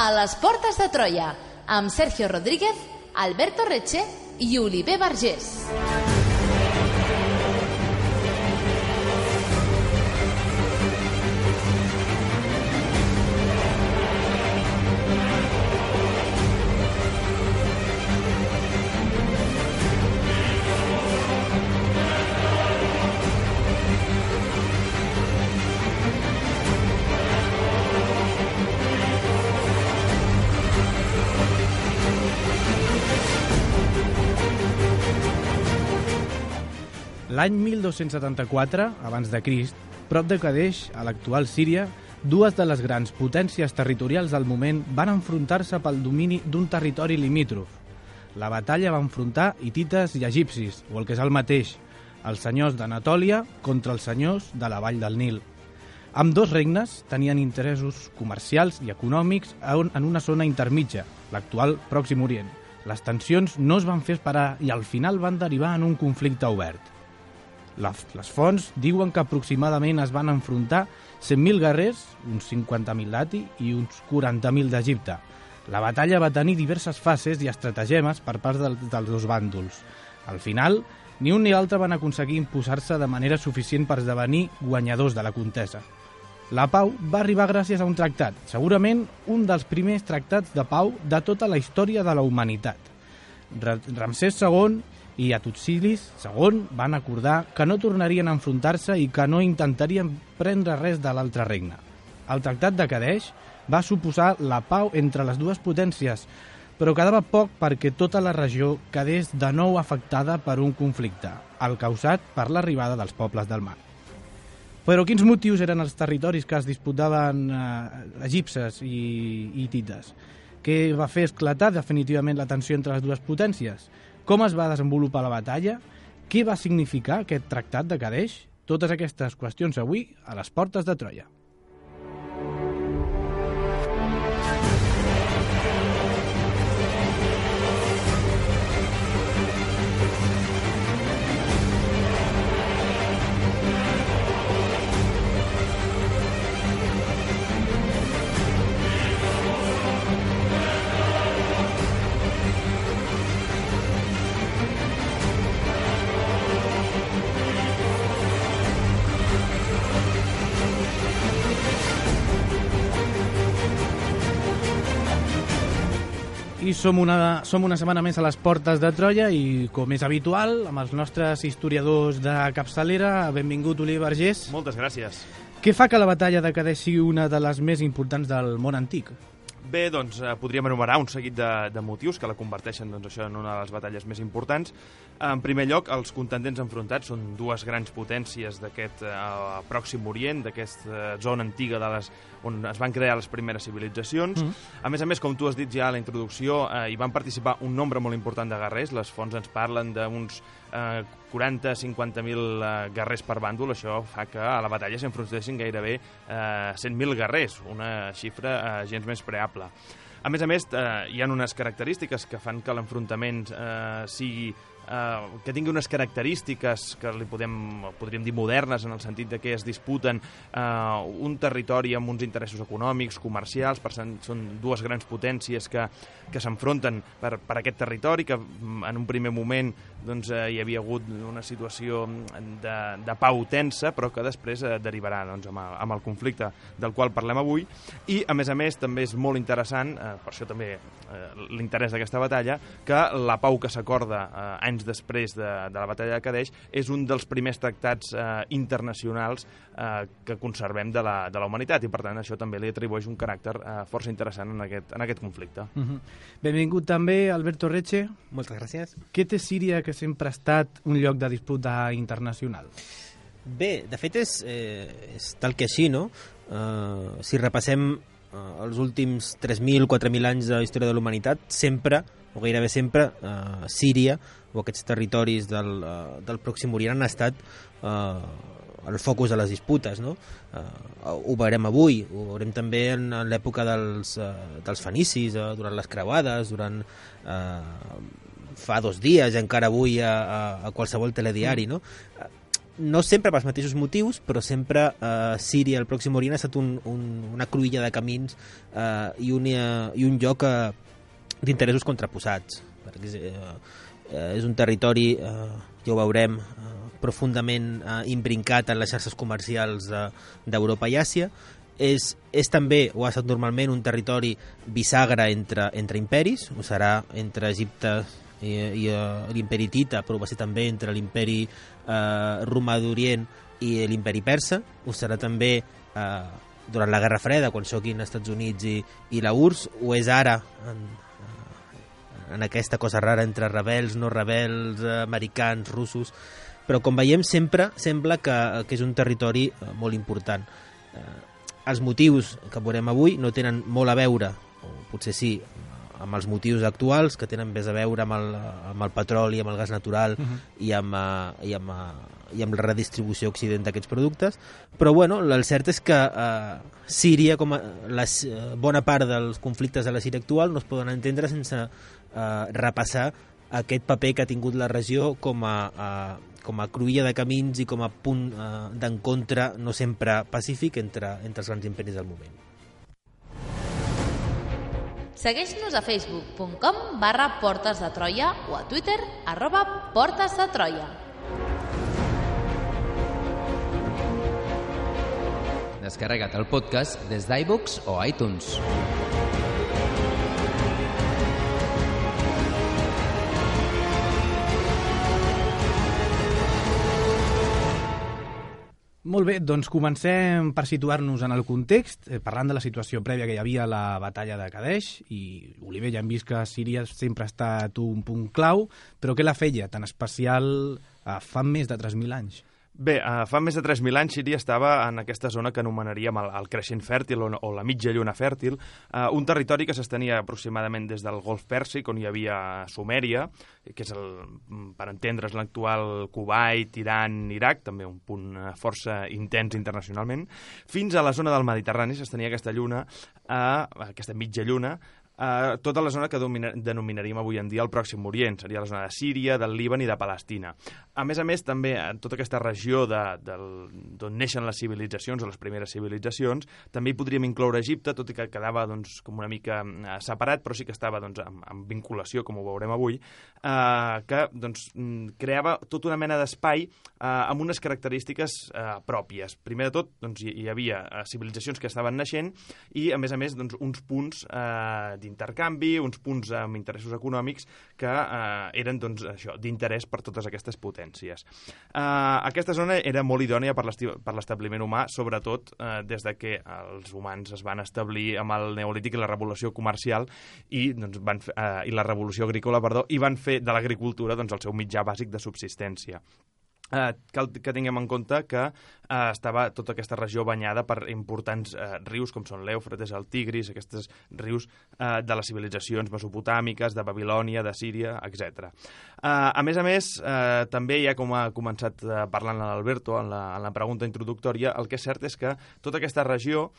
A les portes de Troia, amb Sergio Rodríguez, Alberto Reche i Oliver Vergés. L'any 1274, abans de Crist, prop de Kadeix, a l'actual Síria, dues de les grans potències territorials del moment van enfrontar-se pel domini d'un territori limítrof. La batalla va enfrontar hitites i egipcis, o el que és el mateix, els senyors d'Anatòlia contra els senyors de la vall del Nil. Ambdós regnes tenien interessos comercials i econòmics en una zona intermitja, l'actual Pròxim Orient. Les tensions no es van fer esperar i al final van derivar en un conflicte obert. Les fonts diuen que aproximadament es van enfrontar 100.000 guerrers, uns 50.000 d'Ati i uns 40.000 d'Egipte. La batalla va tenir diverses fases i estratagemes per part dels dos bàndols. Al final, ni un ni l'altre van aconseguir imposar-se de manera suficient per esdevenir guanyadors de la contesa. La pau va arribar gràcies a un tractat, segurament un dels primers tractats de pau de tota la història de la humanitat. Ramsès II i Hattusili II van acordar que no tornarien a enfrontar-se i que no intentarien prendre res de l'altre regne. El tractat de Kadeix va suposar la pau entre les dues potències, però quedava poc perquè tota la regió quedés de nou afectada per un conflicte, el causat per l'arribada dels pobles del mar. Però quins motius eren els territoris que es disputaven egipcis i hitites? Què va fer esclatar definitivament la tensió entre les dues potències? Com es va desenvolupar la batalla? Què va significar aquest tractat de Kadeix? Totes aquestes qüestions avui a les portes de Troia. I som una setmana més a les portes de Troia i, com és habitual, amb els nostres historiadors de capçalera, benvingut Oliver Vergés. Moltes gràcies. Què fa que la batalla de Kadeix sigui una de les més importants del món antic? Bé, doncs podríem enumerar un seguit de motius que la converteixen això en una de les batalles més importants. En primer lloc, els contendents enfrontats són dues grans potències d'aquest Pròxim Orient, d'aquesta zona antiga on es van crear les primeres civilitzacions. A més, com tu has dit ja a la introducció, hi van participar un nombre molt important de guerrers. Les fonts ens parlen d'uns 40-50.000 guerrers per bàndol. Això fa que a la batalla s'enfrontessin gairebé 100.000 guerrers, una xifra gens més preable. A més, hi ha unes característiques que fan que l'enfrontament que tingui unes característiques que podríem dir modernes, en el sentit de que es disputen un territori amb uns interessos econòmics, comercials. Són dues grans potències que s'enfronten per aquest territori, que en un primer moment hi havia hagut una situació de pau tensa, però que després derivarà amb el conflicte del qual parlem avui. I, a més, també és molt interessant, per això també l'interès d'aquesta batalla, que la pau que s'acorda anys després de la batalla de Kadeix és un dels primers tractats internacionals que conservem de la humanitat, i per tant això també li atribueix un caràcter força interessant en aquest conflicte. Benvingut també Alberto Reche. Moltes gràcies. Què té Síria, que sempre ha estat un lloc de disputa internacional? Bé, de fet és tal que així, no? Si repassem els últims 3.000, 4.000 anys de història de la humanitat, sempre, o gairebé sempre, Síria o aquests territoris del Pròxim Orient han estat el focus de les disputes, no? Ho veurem avui, ho veurem també en l'època dels fenicis, durant les creuades, fa 2 dies, encara avui a qualsevol telediari, no? no sempre pels mateixos motius, però sempre Síria, el Pròxim Orient, ha estat una cruïlla de camins i un lloc d'interessos contraposats. És un territori, ja ho veurem, profundament imbrincat en les xarxes comercials d'Europa i Àsia. És també, o ha estat normalment, un territori bisagra entre imperis, ho serà entre Egipte i l'imperi Hitita, però va ser també entre l'imperi romà d'Orient i l'imperi persa, ho serà també durant la Guerra Freda, quan xoquin els Estats Units i la URSS, ho és ara en aquesta cosa rara entre rebels, no rebels, americans, russos, però com veiem sempre sembla que és un territori molt important. Els motius que veurem avui no tenen molt a veure, o potser sí, amb els motius actuals, que tenen més a veure amb el petroli, amb el gas natural i amb la redistribució a Occident d'aquests productes, però bueno, el cert és que Síria, bona part dels conflictes de la Síria actual no es poden entendre sense repassar aquest paper que ha tingut la regió com a cruïlla de camins i com a punt d'encontre no sempre pacífic entre els grans imperis del moment. Segueix-nos a facebook.com/Portes de Troia o a Twitter @Portes de Troia. Descarrega't el podcast des d'iVoox o iTunes. Molt bé, doncs comencem per situar-nos en el context, parlant de la situació prèvia que hi havia a la batalla de Kadesh, i Oliver, ja hem vist que Síria sempre ha estat un punt clau, però què la feia tan especial fa més de 3.000 anys? Bé, fa més de 3.000 anys Síria estava en aquesta zona que anomenaríem el creixent fèrtil o la mitja lluna fèrtil, un territori que s'estenia aproximadament des del Golf Pèrsic, on hi havia Sumèria, que és, per entendre's, l'actual Kuwait, Iran, Iraq, també un punt força intens internacionalment, fins a la zona del Mediterrani s'estenia aquesta lluna, aquesta mitja lluna, tota la zona que denominaríem avui en dia el Pròxim Orient. Seria la zona de Síria, del Líban i de Palestina. A més, també, en tota aquesta regió d'on neixen les civilitzacions, o les primeres civilitzacions, també hi podríem incloure Egipte, tot i que quedava com una mica separat, però sí que estava en vinculació, com ho veurem avui, que creava tota una mena d'espai amb unes característiques pròpies. Primer de tot, hi havia civilitzacions que estaven naixent i, a més, uns punts d'intercanvi, uns punts amb interessos econòmics que eren d'interès per totes aquestes potències. Aquesta zona era molt idònia per l'establiment humà, sobretot des de que els humans es van establir amb el Neolític i la revolució comercial i la revolució agrícola, i van fer de l'agricultura el seu mitjà bàsic de subsistència. Cal que tinguem en compte que estava tota aquesta regió banyada per importants rius com són l'Eufrates, el Tigris, aquests rius de les civilitzacions mesopotàmiques, de Babilònia, de Síria, etc. A més, també, ja com ha començat parlant l'Alberto en la pregunta introductòria, el que és cert és que tota aquesta regió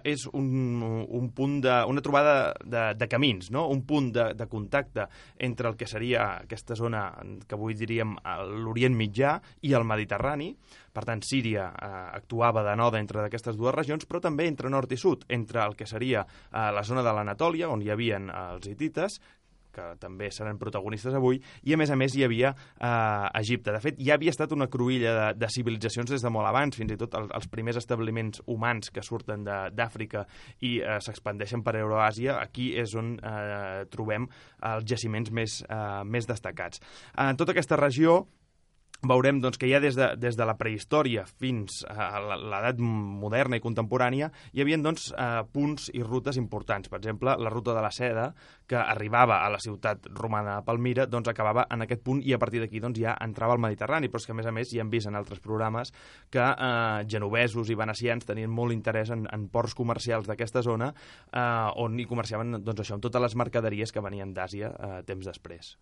és un punt una trobada de camins, no? Un punt de contacte entre el que seria aquesta zona que avui diríem l'Orient Mitjà i el Mediterrani. Per tant, Síria actuava de node entre aquestes dues regions, però també entre nord i sud, entre el que seria la zona de l'Anatòlia, on hi havien els hitites, que també seran protagonistes avui, i a més hi havia Egipte. De fet, ja havia estat una cruïlla de civilitzacions des de molt abans, fins i tot els primers establiments humans que surten d'Àfrica i s'expandeixen per Euroàsia. Aquí és on trobem els jaciments més destacats. En tota aquesta regió veurem que ja des de la prehistòria fins a l'edat moderna i contemporània hi havia punts i rutes importants. Per exemple, la ruta de la seda, que arribava a la ciutat romana de Palmira, acabava en aquest punt i a partir d'aquí ja entrava al Mediterrani, però és que a més ja hem vist en altres programes que genovesos i venecians tenien molt interès en ports comercials d'aquesta zona on hi comerciaven amb totes les mercaderies que venien d'Àsia temps després.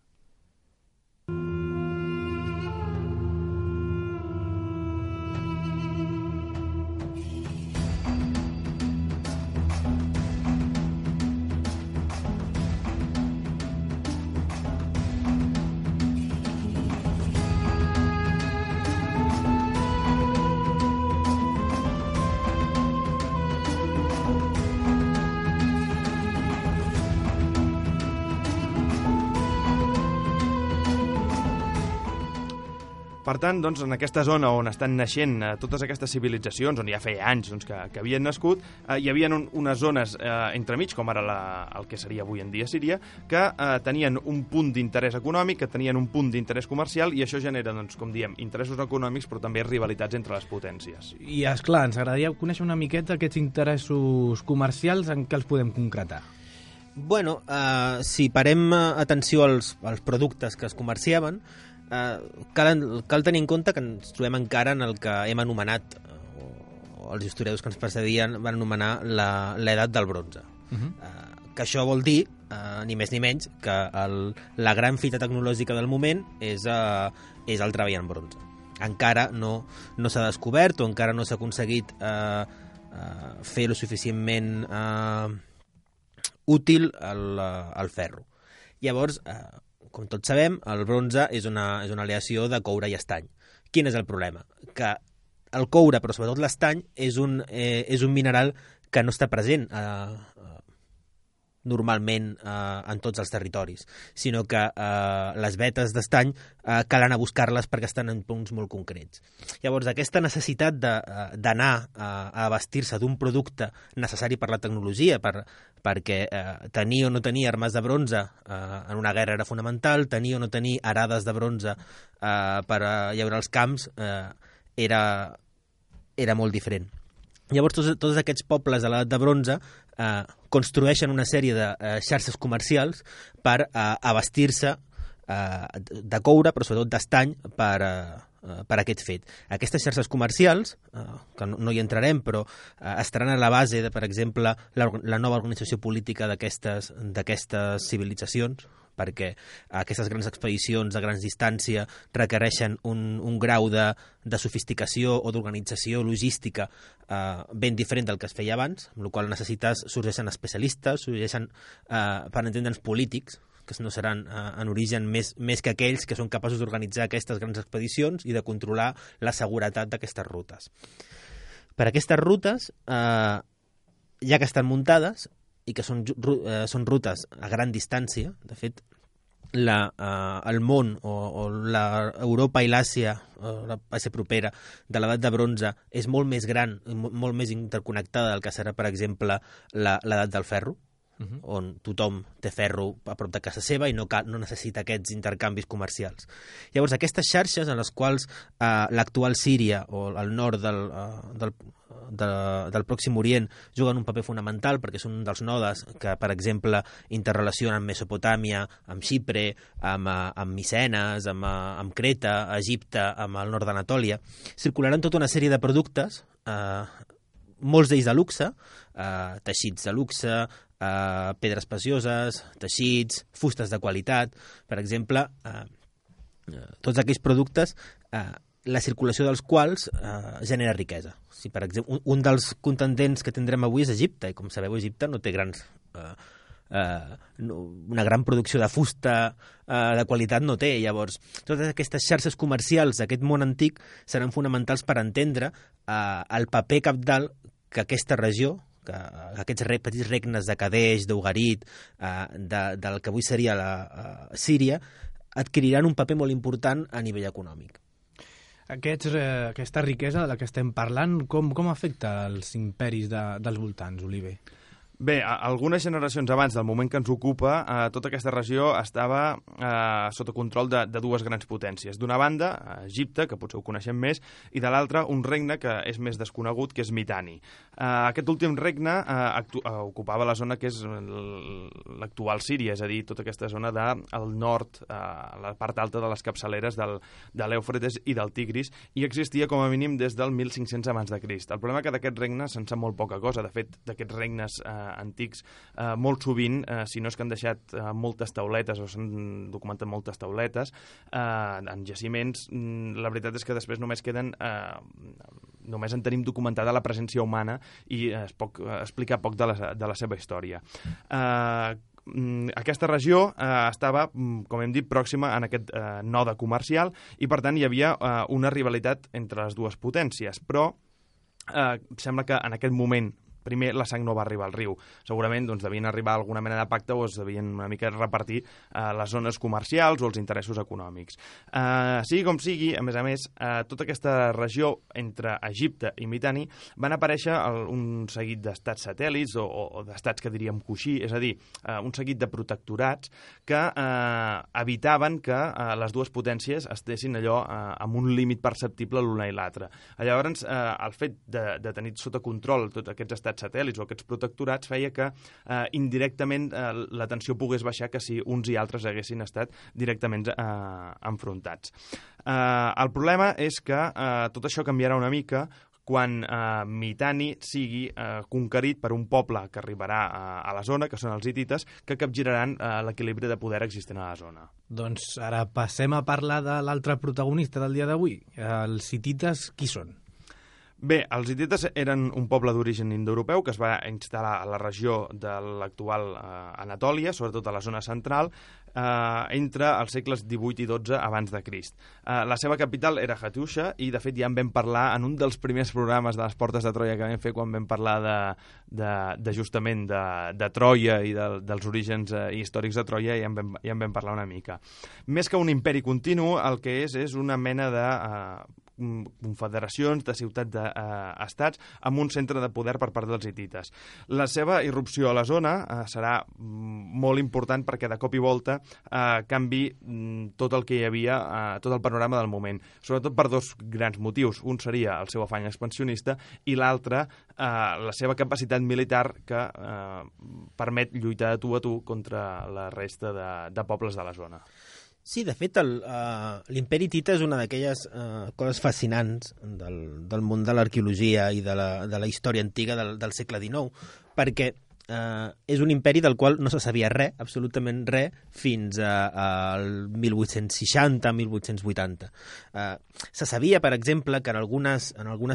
Per tant, doncs, en aquesta zona on estan naixent totes aquestes civilitzacions, on ja feia anys doncs, que havien nascut, hi havia unes zones entremig, com ara el que seria avui en dia Síria, que tenien un punt d'interès econòmic, que tenien un punt d'interès comercial, i això genera, doncs, com diem, interessos econòmics, però també rivalitats entre les potències. I, esclar, ens agradaria conèixer una miqueta aquests interessos comercials en què els podem concretar. Bueno, si parem atenció als productes que es comerciaven, cal tenir en compte que ens trobem encara en el que hem anomenat, o els historiadors que ens precedien van anomenar l'edat del bronze. Que això vol dir, ni més ni menys, que la gran fita tecnològica del moment és el treball en bronze. Encara no s'ha descobert o encara no s'ha aconseguit fer lo suficientment útil el ferro. Llavors, com tots sabem, el bronze és una aleació de coure i estany. Quin és el problema? Que el coure, però sobretot l'estany, és un mineral que no està present normalment en tots els territoris, sinó que les vetes d'estany cal anar a buscar-les perquè estan en punts molt concrets. Llavors, aquesta necessitat d'anar a abastir-se d'un producte necessari per la tecnologia, perquè tenir o no tenir armes de bronze en una guerra era fonamental, tenir o no tenir arades de bronze per llaurar els camps era molt diferent. Llavors, tots aquests pobles de l'edat de bronze construeixen una sèrie de xarxes comercials per abastir-se de coure, però sobretot d'estany, per aquest fet. Aquestes xarxes comercials, que no hi entrarem, però estaran a la base de, per exemple, la nova organització política d'aquestes civilitzacions, perquè aquestes grans expedicions a grans distància requereixen un grau de sofisticació o d'organització logística ben diferent del que es feia abans, amb la qual sorgeixen especialistes, sorgeixen, per entendre'ns, polítics, que no seran en origen més que aquells que són capaços d'organitzar aquestes grans expedicions i de controlar la seguretat d'aquestes rutes. Per aquestes rutes, ja que estan muntades i que són rutes a gran distància, de fet, el món o l'Europa i l'Àsia, l'Àsia propera de l'edat de bronze és molt més gran, molt més interconnectada del que serà, per exemple, l'edat del ferro, on tothom té ferro a prop de casa seva i no necessita aquests intercanvis comercials. Llavors, aquestes xarxes en les quals l'actual Síria o el nord del Pròxim Orient juguen un paper fonamental perquè són un dels nodes que, per exemple, interrelacionen amb Mesopotàmia, amb Xipre, amb Micenes, amb Creta, Egipte, amb el nord d'Anatòlia, circularan tota una sèrie de productes, molts d'ells de luxe, teixits de luxe, pedres precioses, teixits, fustes de qualitat. Per exemple, tots aquells productes, la circulació dels quals genera riquesa. Si, per exemple, un dels contendents que tindrem avui és Egipte, i com sabeu, Egipte no té una gran producció de fusta de qualitat, no té. Llavors, totes aquestes xarxes comercials d'aquest món antic seran fonamentals per entendre el paper cabdal que aquesta regió, que aquests petits regnes de Kadesh, d'Ugarit, del que avui seria la Síria, adquiriran un paper molt important a nivell econòmic. Aquesta riquesa de la que estem parlant, com afecta els imperis dels voltants, Oliver? Bé, algunes generacions abans del moment que ens ocupa, tota aquesta regió estava sota control de dues grans potències. D'una banda, Egipte, que potser ho coneixem més, i de l'altra, un regne que és més desconegut, que és Mitanni. Aquest últim regne ocupava la zona que és l'actual Síria, és a dir, tota aquesta zona del nord, la part alta de les capçaleres de l'Eufrates i del Tigris, i existia com a mínim des del 1500 abans de Crist. El problema és que d'aquest regne se'n sap molt poca cosa. De fet, d'aquests regnes antics, molt sovint, si no és que han deixat moltes tauletes o s'han documentat moltes tauletes en jaciments, la veritat és que després només queden només en tenim documentada la presència humana i es pot explicar poc de la seva història. Aquesta regió estava, com hem dit, pròxima en aquest node comercial i, per tant, hi havia una rivalitat entre les dues potències, però sembla que en aquest moment primer la sang no va arribar al riu. Segurament doncs, devien arribar a alguna mena de pacte o es devien una mica repartir les zones comercials o els interessos econòmics. Sigui com sigui, a més, tota aquesta regió entre Egipte i Mitanni van aparèixer un seguit d'estats satèl·lits o d'estats que diríem coixí, és a dir, un seguit de protectorats que evitaven que les dues potències estessin allò amb un límit perceptible l'una i l'altra. Llavors, el fet de tenir sota control tots aquests estats satèl·lits o aquests protectorats feia que indirectament la tensió pogués baixar que si uns i altres haguessin estat directament enfrontats. El problema és que tot això canviarà una mica quan Mitanni sigui conquerit per un poble que arribarà a la zona, que són els hitites, que capgiraran l'equilibri de poder existent a la zona. Doncs ara passem a parlar de l'altre protagonista del dia d'avui. Els hitites, qui són? Bé, els hitites eren un poble d'origen indoeuropeu que es va instal·lar a la regió de l'actual Anatòlia, sobretot a la zona central, entre els segles XVIII i XII abans de Crist. La seva capital era Hattusha i, de fet, ja en vam parlar en un dels primers programes de les Portes de Troia que vam fer quan vam parlar justament de Troia i dels orígens històrics de Troia, ja en vam parlar una mica. Més que un imperi continu, el que és una mena de confederacions de ciutats-estats amb un centre de poder per part dels hitites. La seva irrupció a la zona serà molt important perquè de cop i volta canvi tot el que hi havia, tot el panorama del moment, sobretot per dos grans motius. Un seria el seu afany expansionista i l'altre la seva capacitat militar que permet lluitar de tu a tu contra la resta de pobles de la zona. Sí, de fet, l'imperi hitita és una d'aquelles coses fascinants del món de l'arqueologia i de la història antiga del segle XIX, perquè és un imperi del qual no se sabia res, absolutament res, fins al 1860-1880. Se sabia, per exemple, que en algunes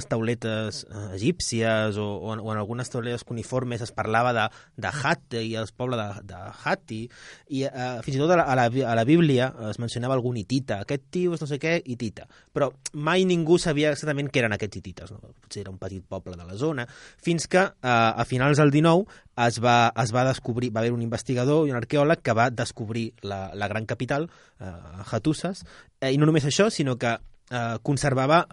tauletes egípcies o en algunes tauletes cuniformes es parlava de Hatti i el poble de Hatti, i fins i tot a la Bíblia es mencionava algun hitita. Aquest tio és no sé què, hitita. Però mai ningú sabia exactament què eren aquests hitites. No? Potser era un petit poble de la zona, fins que a finals del XIX es va descobrir, va haver un investigador i un arqueòleg que va descobrir la gran capital, Hattusas, i no només això, sinó que conservava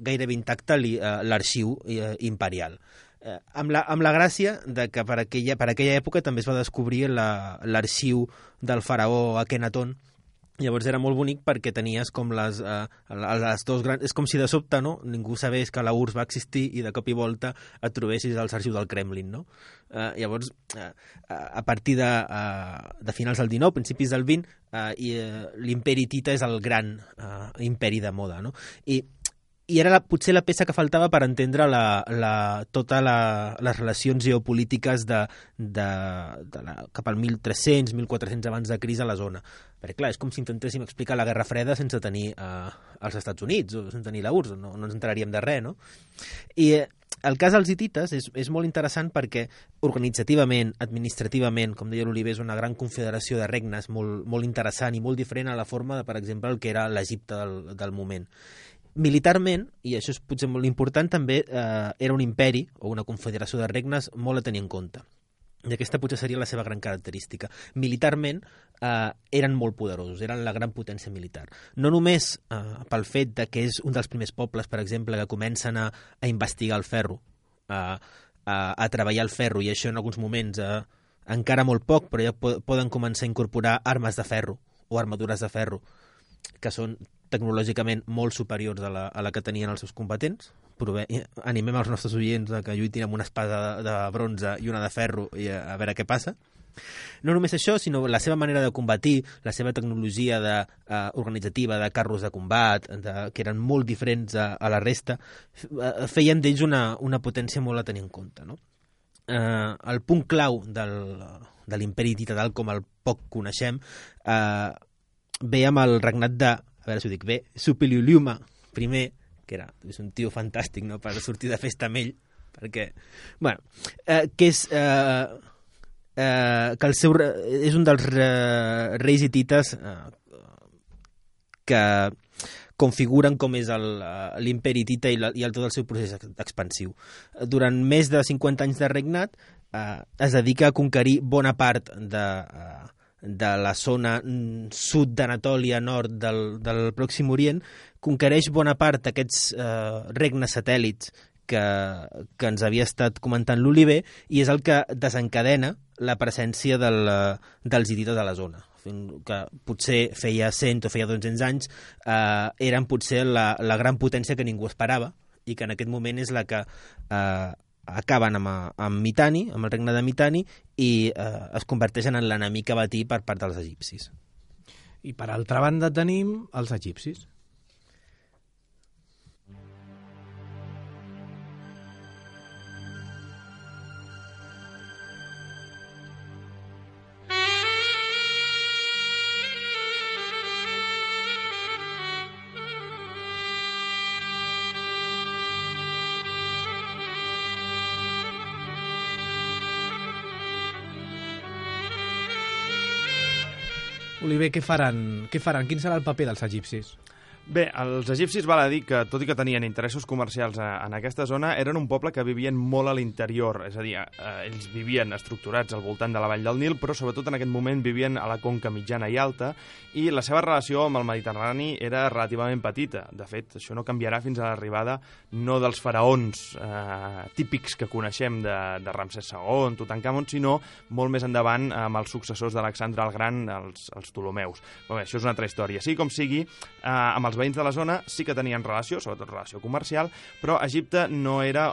gairebé intacte l'arxiu imperial. Amb la gràcia de que per aquella època també es va descobrir l'arxiu del faraó Akhenaton. Llavors era molt bonic perquè tenies com les dos grans... És com si de sobte ningú sabés que la URSS va existir i de cop i volta et trobessis als arxius del Kremlin, no? Llavors, a partir de finals del XIX, principis del XX, l'imperi hitita és el gran imperi de moda, no? I era potser la peça que faltava per entendre totes les relacions geopolítiques cap al 1300, 1400 abans de Crist a la zona. Perquè, clar, és com si intentéssim explicar la Guerra Freda sense tenir els Estats Units o sense tenir la URSS, no ens enteraríem de res, no? I el cas dels hitites és molt interessant perquè organitzativament, administrativament, com deia l'Oliver, és una gran confederació de regnes molt, molt interessant i molt diferent a la forma de, per exemple, el que era l'Egipte del moment. Militarment, i això és potser molt important, també era un imperi o una confederació de regnes molt a tenir en compte. I aquesta potser seria la seva gran característica. Militarment eren molt poderosos, eren la gran potència militar. No només pel fet de que és un dels primers pobles, per exemple, que comencen a investigar el ferro, a treballar el ferro, i això en alguns moments encara molt poc, però ja poden començar a incorporar armes de ferro o armadures de ferro, que són tecnològicament molt superiors a la que tenien els seus combatents. Animem els nostres oients que lluitin amb una espada de bronze i una de ferro i a veure què passa. No només això, sinó la seva manera de combatir, la seva tecnologia organitzativa de carros de combat, que eren molt diferents a la resta, feien d'ells una potència molt a tenir en compte, no? El punt clau de l'imperi hitita, tal com el poc coneixem, ve amb el regnat de, a veure si ho dic bé, Suppiluliuma I, que és un tio fantàstic, no?, per sortir de festa amb ell, perquè, bueno, que és que és un dels reis hitites que, configuren com és l'imperi hitita i tot el seu procés expansiu. Durant més de 50 anys de regnat es dedica a conquerir bona part de la zona sud d'Anatòlia, nord del Pròxim Orient, conquereix bona part d'aquests regnes satèl·lits que ens havia estat comentant l'Oliver, i és el que desencadena la presència dels hitites a la zona, que potser feia 100 o feia 200 anys eren potser la gran potència que ningú esperava, i que en aquest moment és la que acaben amb Mitanni, amb el regne de Mitanni, i es converteixen en l'enemic a batir per part dels egipcis. I per altra banda tenim els egipcis. Oliver, què faran? Quin serà el paper dels egipcis? Bé, els egipcis val a dir que, tot i que tenien interessos comercials en aquesta zona, eren un poble que vivien molt a l'interior, és a dir, ells vivien estructurats al voltant de la vall del Nil, però sobretot en aquest moment vivien a la conca mitjana i alta, i la seva relació amb el Mediterrani era relativament petita. De fet, això no canviarà fins a l'arribada no dels faraons típics que coneixem de Ramsès II, Tutankamon, sinó molt més endavant amb els successors d'Alexandre el Gran, els Ptolemeus. Però bé, això és una altra història. Sí com sigui, amb els veïns de la zona sí que tenien relació, sobretot relació comercial, però Egipte no era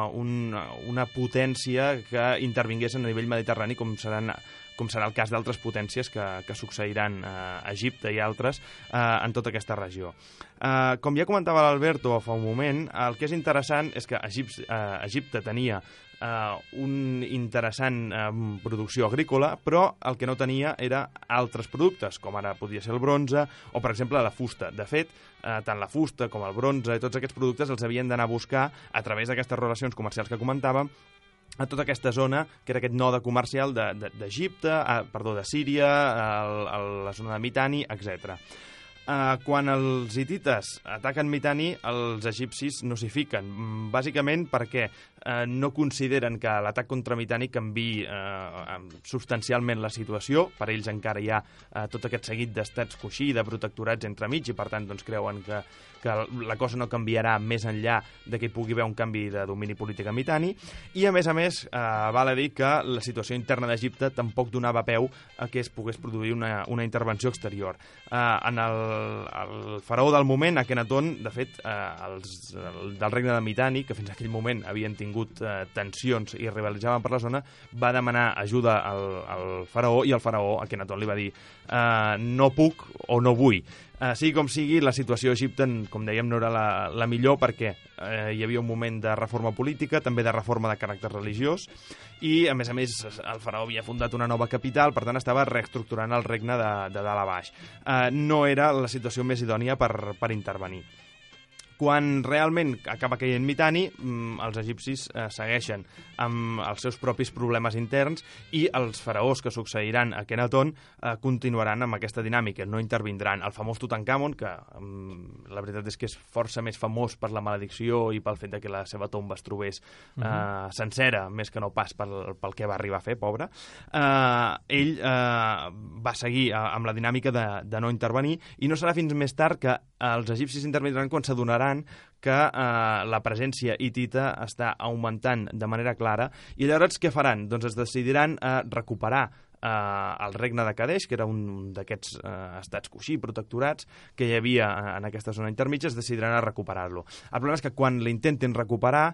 una potència que intervingués a nivell mediterrani com serà el cas d'altres potències que succeiran a Egipte i altres en tota aquesta regió. Com ja comentava l'Alberto fa un moment, el que és interessant és que Egipte tenia una interessant producció agrícola, però el que no tenia era altres productes, com ara podia ser el bronze o, per exemple, la fusta. De fet, tant la fusta com el bronze i tots aquests productes els havien d'anar a buscar a través d'aquestes relacions comercials que comentàvem a tota aquesta zona, que era aquest node comercial d'Egipte, de Síria, la zona de Mitanni, etc. Quan els hitites ataquen Mitanni, els egipcis no s'hi fiquen, bàsicament perquè no consideren que l'atac contra Mitanni canviï substancialment la situació. Per ells encara hi ha tot aquest seguit d'estats coixí, de protectorats entremig, i per tant doncs, creuen que la cosa no canviarà més enllà de que hi pugui haver un canvi de domini polític a Mitanni, i a més, val a dir que la situació interna d'Egipte tampoc donava peu a que es pogués produir una intervenció exterior. En el faraó del moment, Akhenaton, de fet, del regne de Mitanni, que fins a aquell moment havien tingut tensions i rivalitzaven per la zona, va demanar ajuda al faraó, i el faraó, Akhenaton, li va dir no puc o no vull. Sigui com sigui, la situació a Egipte, com dèiem, no era la millor, perquè hi havia un moment de reforma política, també de reforma de caràcter religiós, i a més, el faraó havia fundat una nova capital, per tant estava reestructurant el regne de dalt a baix. No era la situació més idònia per intervenir. Quan realment acaba caient Mitanni, els egipcis segueixen amb els seus propis problemes interns, i els faraós que succeiran a Akhenaton continuaran amb aquesta dinàmica, no intervindran. El famós Tutankamon, que la veritat és que és força més famós per la maledicció i pel fet que la seva tomba es trobés sencera, més que no pas pel que va arribar a fer, pobre, ell va seguir amb la dinàmica de no intervenir, i no serà fins més tard que els egipcis intervindran quan s'adonaran que la presència hitita està augmentant de manera clara, i llavors què faran? Doncs es decidiran a recuperar el regne de Kadesh, que era un d'aquests estats coixí, protectorats, que hi havia en aquesta zona intermitja, es decidiran a recuperar-lo. El problema és que quan l'intentin recuperar,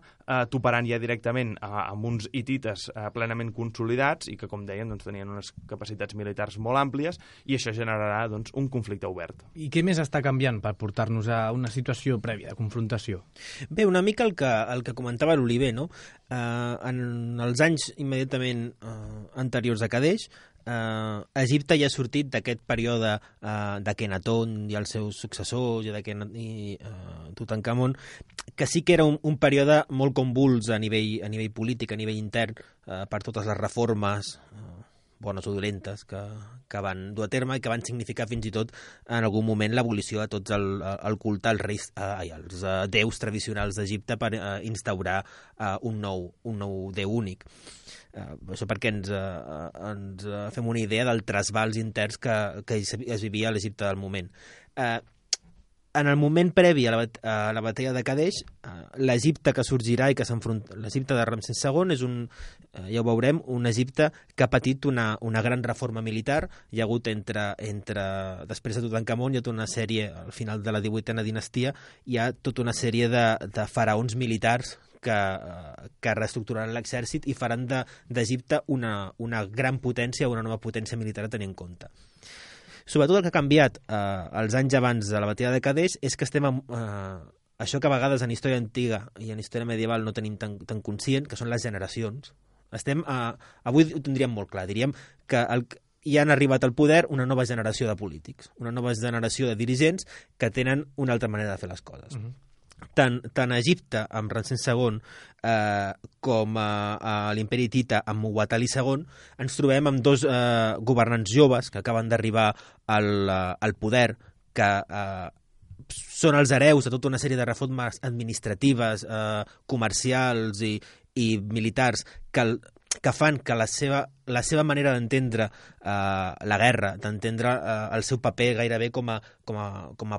toparan ja directament amb uns hitites plenament consolidats, i que, com dèiem, doncs, tenien unes capacitats militars molt àmplies, i això generarà doncs, un conflicte obert. I què més està canviant per portar-nos a una situació prèvia de confrontació? Bé, una mica el que comentava l'Oliver, no? En els anys immediatament anteriors a Kadesh, Egipte ja ha sortit d'aquest període d'Akhenaton i els seus successors i Tutankamon, que sí que era un període molt convuls a nivell polític, a nivell intern, per totes les reformes bones o dolentes que van dur a terme i que van significar fins i tot en algun moment l'abolició de tots el culte als reis, als déus tradicionals d'Egipte per instaurar un nou déu únic. Això perquè ens fem una idea del trasbals interns que es vivia a l'Egipte del moment. En el moment previ a la batalla de Kadesh, l'Egipte que sorgirà i que s'enfronta, l'Egipte de Ramsès II és ja ho veurem, un Egipte que ha patit una gran reforma militar. Hi ha hagut després de Tutankamon, hi ha tota una sèrie, al final de la 18a dinastia, hi ha tota una sèrie de faraons militars que reestructuraran l'exèrcit i faran d'Egipte una gran potència, una nova potència militar a tenir en compte. Sobretot el que ha canviat els anys abans de la batalla de Kadesh és que estem això que a vegades en història antiga i en història medieval no tenim tan conscient, que són les generacions. Avui ho tindríem molt clar, diríem que ja han arribat al poder una nova generació de polítics, una nova generació de dirigents que tenen una altra manera de fer les coses. Tant a Egipte, amb Ramsès II, com a l'Imperi Hitita, amb Muwatalli II, ens trobem amb dos governants joves que acaben d'arribar al poder, que són els hereus de tota una sèrie de reformes administratives, comercials i militars que fan que la seva manera d'entendre la guerra, d'entendre el seu paper gairebé com a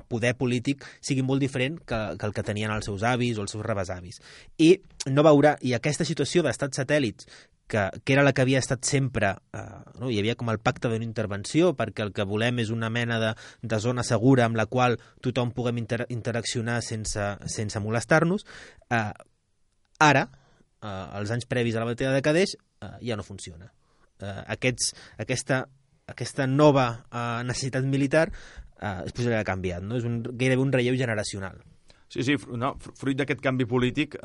poder polític sigui molt diferent que el que tenien els seus avis o els seus rebesavis. I aquesta situació d'estats satèl·lits, que era la que havia estat sempre, hi havia com el pacte d'una intervenció, perquè el que volem és una mena de zona segura amb la qual tothom puguem interaccionar sense molestar-nos. Ara, els anys previs a la batalla de Kadesh, ja no funciona. Aquesta nova necessitat militar es posarà canviat, no? És gairebé un relleu generacional. Sí, fruit d'aquest canvi polític,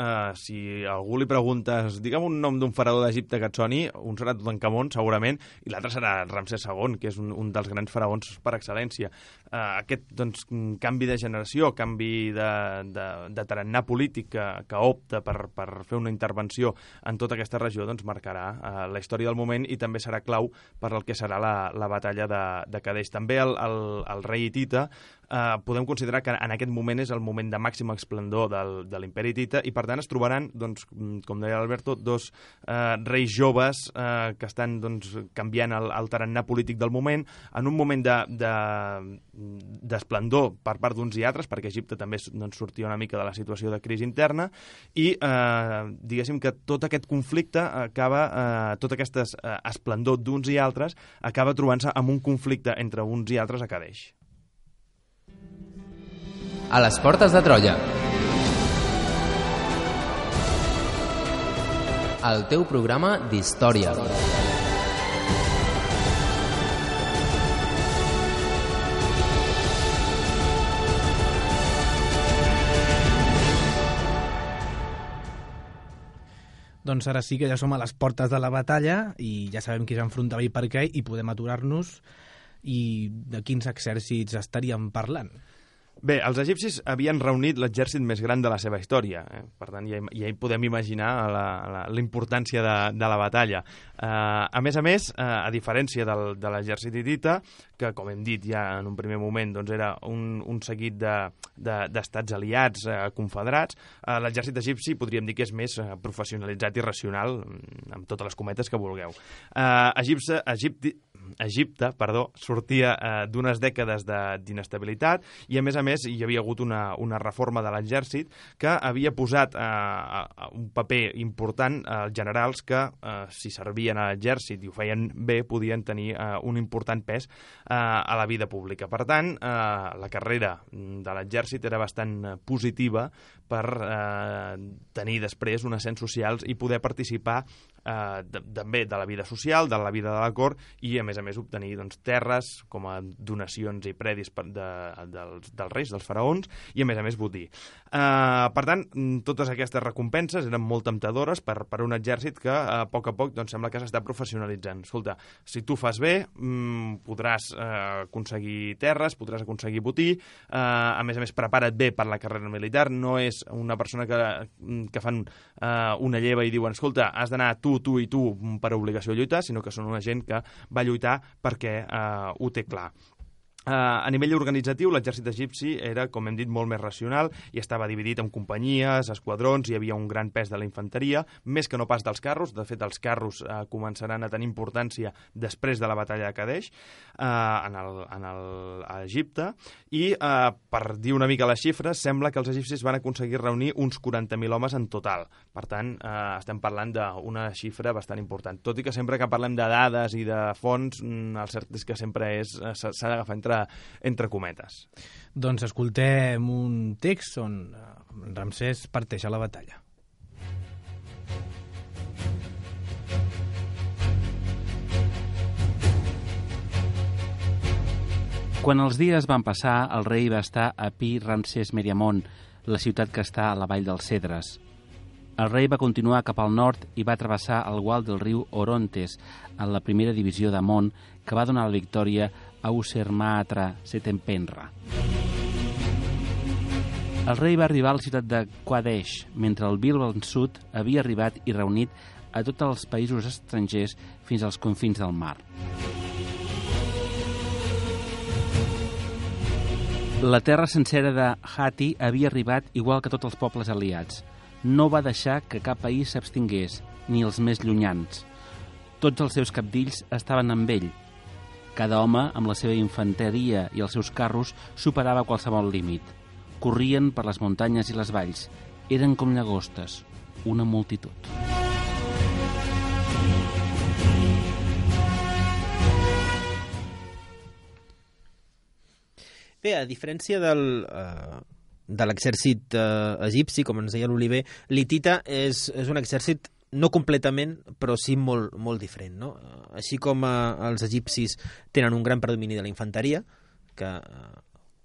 si a algú li preguntes, digue'm un nom d'un faraó d'Egipte que et soni, un serà Tutankamon, segurament, i l'altre serà Ramsès II, que és un dels grans faraons per excel·lència. Aquest canvi de generació, canvi de tarannà polític que opta per fer una intervenció en tota aquesta regió, doncs marcarà la història del moment i també serà clau per al que serà la batalla de Kadesh. També el rei hitita podem considerar que en aquest moment és el moment de màxim esplendor de l'imperi hitita i per tant es trobaran, doncs, com deia l'Alberto, dos reis joves que estan canviant el tarannà polític del moment, en un moment d'esplendor per part d'uns i altres, perquè Egipte també sortia una mica de la situació de crisi interna i diguéssim que tot aquest conflicte acaba, tot aquest esplendor d'uns i altres acaba trobant-se amb un conflicte entre uns i altres a Kadesh. A les portes de Troia. El teu programa d'història. Doncs ara sí que ja som a les portes de la batalla i ja sabem qui s'enfrontava i per què i podem aturar-nos i de quins exèrcits estaríem parlant. Bé, els egipcis havien reunit l'exèrcit més gran de la seva història, per tant ja hi podem imaginar la importància de la batalla. A més, a diferència de l'exèrcit hitita, que com hem dit ja en un primer moment era un seguit d'estats aliats, confederats, l'exèrcit egipci podríem dir que és més professionalitzat i racional, amb totes les cometes que vulgueu. Egipte sortia d'unes dècades d'inestabilitat i a més hi havia hagut una reforma de l'exèrcit que havia posat un paper important als generals que si servien a l'exèrcit i ho feien bé podien tenir un important pes a la vida pública. Per tant, la carrera de l'exèrcit era bastant positiva per tenir després un ascens socials i poder participar també de la vida social, de la vida de la cort i a més obtenir terres com a donacions i predis dels reis, dels faraons i a més botí. Per tant, totes aquestes recompenses eren molt temptadores per un exèrcit que a poc sembla que s'està professionalitzant. Escolta, si tu fas bé podràs aconseguir terres, podràs aconseguir botí, a més prepara't bé per la carrera militar, no és una persona que fan una lleva i diuen, escolta, has d'anar tu tu i tu per obligació de lluitar, sinó que són una gent que va lluitar perquè ho té clar. A nivell organitzatiu, l'exèrcit egipci era, com hem dit, molt més racional i estava dividit en companyies, esquadrons, hi havia un gran pes de la infanteria, més que no pas dels carros. De fet, els carros començaran a tenir importància després de la batalla de Kadesh a Egipte, i per dir una mica les xifres, sembla que els egipcis van aconseguir reunir uns 40.000 homes en total. Per tant, estem parlant d'una xifra bastant important. Tot i que sempre que parlem de dades i de fonts, el cert és que sempre s'ha d'agafar entre cometes. Doncs escoltem un text on Ramsès parteix a la batalla. Quan els dies van passar, el rei va estar a Pi Ramsès Meriamon, la ciutat que està a la vall dels Cedres. El rei va continuar cap al nord i va travessar el gual del riu Orontes en la primera divisió d'Amon, que va donar la victòria a Usermatra Setempenra. El rei va arribar a la ciutat de Qadesh, mentre el Bilbo Sud havia arribat i reunit a tots els països estrangers fins als confins del mar. La terra sencera de Hatti havia arribat igual que tots els pobles aliats. No va deixar que cap país s'abstingués, ni els més llunyans. Tots els seus cabdills estaven amb ell. Cada home, amb la seva infanteria i els seus carros, superava qualsevol límit. Corrien per les muntanyes i les valls. Eren com llagostes, una multitud. Bé, a diferència de l'exèrcit egipci, com ens deia l'Oliver, l'hitita és un exèrcit no completament, però sí molt, molt diferent, no? Així com els egipcis tenen un gran predomini de la infanteria, que,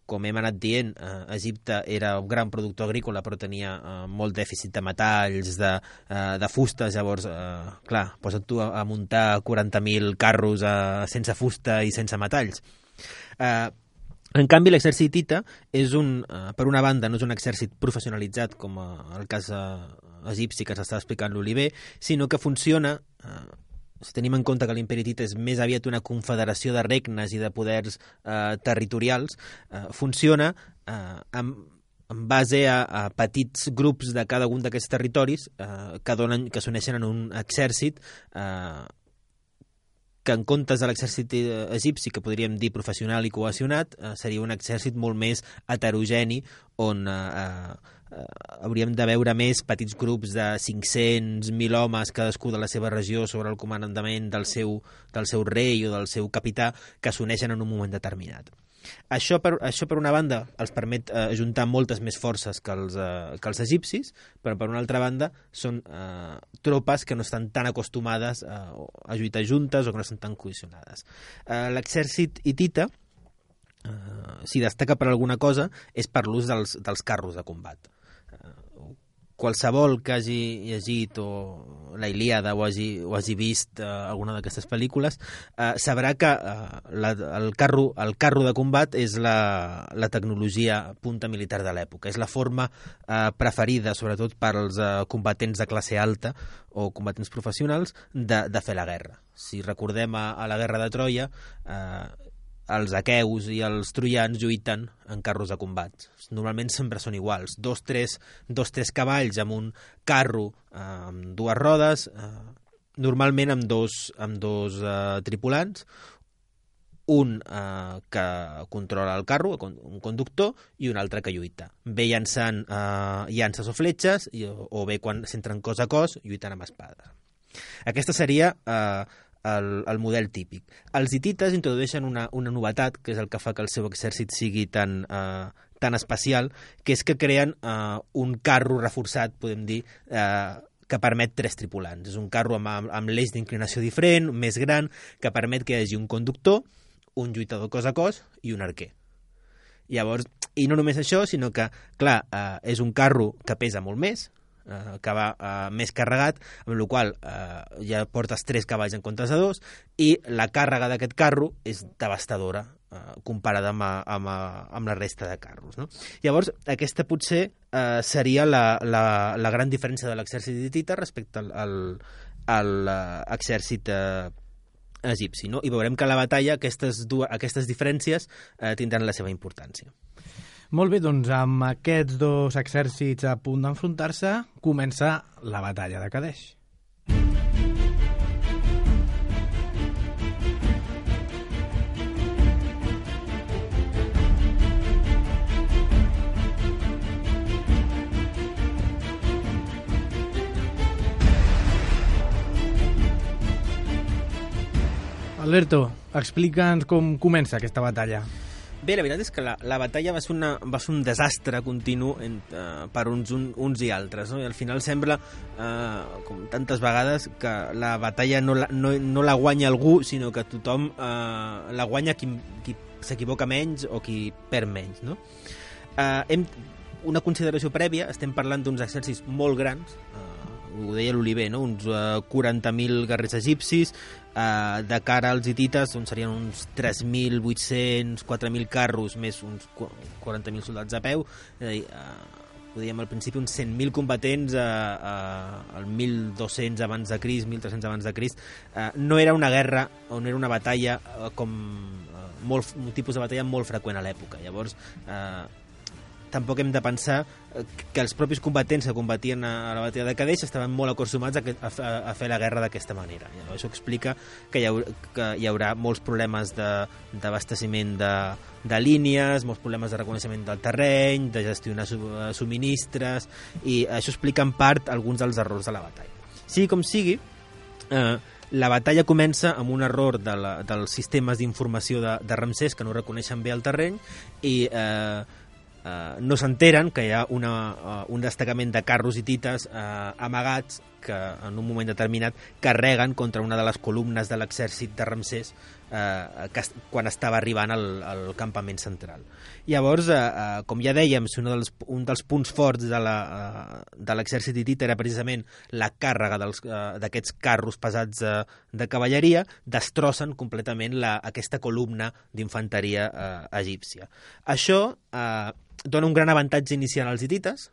com hem anat dient, Egipte era un gran productor agrícola, però tenia molt dèficit de metalls, de fustes. Llavors, clar, posa't tu a muntar 40.000 carros sense fusta i sense metalls. En canvi, l'exèrcit hitita és per una banda, no és un exèrcit professionalitzat com el cas egipci que s'està explicant l'Oliver, sinó que funciona, si tenim en compte que l'imperi hitita és més aviat una confederació de regnes i de poders territorials, funciona en base a petits grups de cada un d'aquests territoris que s'uneixen en un exèrcit que en comptes de l'exèrcit egipci, que podríem dir professional i cohesionat, seria un exèrcit molt més heterogeni, on hauríem de veure més petits grups de 500.000 homes, cadascú de la seva regió, sobre el comandament del seu rei o del seu capità, que s'uneixen en un moment determinat. Això per una banda els permet ajuntar moltes més forces que els egipcis, però per una altra banda són tropes que no estan tan acostumades a lluitar juntes o que no estan tan cohesionades. L'exèrcit hitita, si destaca per alguna cosa, és per l'ús dels carros de combat. Qualsevol que hagi llegit o la Ilíada o hagi vist alguna d'aquestes pel·lícules sabrà que el carro de combat és la tecnologia punta militar de l'època. És la forma preferida, sobretot per als combatents de classe alta o combatents professionals, de fer la guerra. Si recordem a la guerra de Troia, els aqueus i els troians lluiten en carros de combat. Normalment sempre són iguals. Dos, tres cavalls amb un carro amb dues rodes, normalment amb dos tripulants, un que controla el carro, un conductor, i un altre que lluita. Bé llançant llances o fletxes, o bé quan s'entren cos a cos, lluitant amb espades. Aquesta seria el model típic. Els hitites introdueixen una novetat, que és el que fa que el seu exèrcit sigui tan especial, que és que creen un carro reforçat, podem dir, que permet 3 tripulants. És un carro amb l'eix d'inclinació diferent, més gran, que permet que hi hagi un conductor, un lluitador cos a cos i un arquer. Llavors, i no només això, sinó que, clar, és un carro que pesa molt més, que va més carregat, amb la qual ja portes 3 cavalls en comptes de 2, i la càrrega d'aquest carro és devastadora comparada amb la resta de carros, no? Llavors, aquesta potser seria la gran diferència de l'exèrcit hitita respecte l'exèrcit egipci, no? I veurem que a la batalla aquestes diferències tindran la seva importància. Molt bé, doncs amb aquests dos exèrcits a punt d'enfrontar-se, comença la batalla de Kadesh. Alberto, explica'ns com comença aquesta batalla. Bé, la veritat és que la batalla va ser un desastre continu per uns i altres, no? I al final sembla, com tantes vegades, que la batalla no la guanya algú, sinó que tothom la guanya qui s'equivoca menys o qui perd menys, no? Una consideració prèvia, estem parlant d'uns exèrcits molt grans, ho deia l'Oliver, no? Uns 40.000 guerrers egipcis, de cara als hitites doncs serien uns 3.800, 4.000 carros més uns 40.000 soldats a peu, és a dir, ho dèiem al principi, uns 100.000 combatents al 1.200 abans de Crist, 1.300 abans de Crist. No era una guerra o no era una batalla com un tipus de batalla molt freqüent a l'època. Llavors tampoc hem de pensar que els propis combatents que combatien a la batalla de Kadesh estaven molt acostumats a fer la guerra d'aquesta manera. Això explica que hi haurà molts problemes d'abasteciment de línies, molts problemes de reconeixement del terreny, de gestionar subministres, i això explica en part alguns dels errors de la batalla. Sigui com sigui, la batalla comença amb un error dels sistemes d'informació de Ramsès, que no reconeixen bé el terreny, i no s'enteren que hi ha un destacament de carros hitites amagats que en un moment determinat carreguen contra una de les columnes de l'exèrcit de Ramsès quan estava arribant al campament central. Llavors, com ja dèiem, un dels punts forts de l'exèrcit hitita era precisament la càrrega d'aquests carros pesats de cavalleria, destrossen completament aquesta columna d'infanteria egípcia. Això dona un gran avantatge inicial als hitites,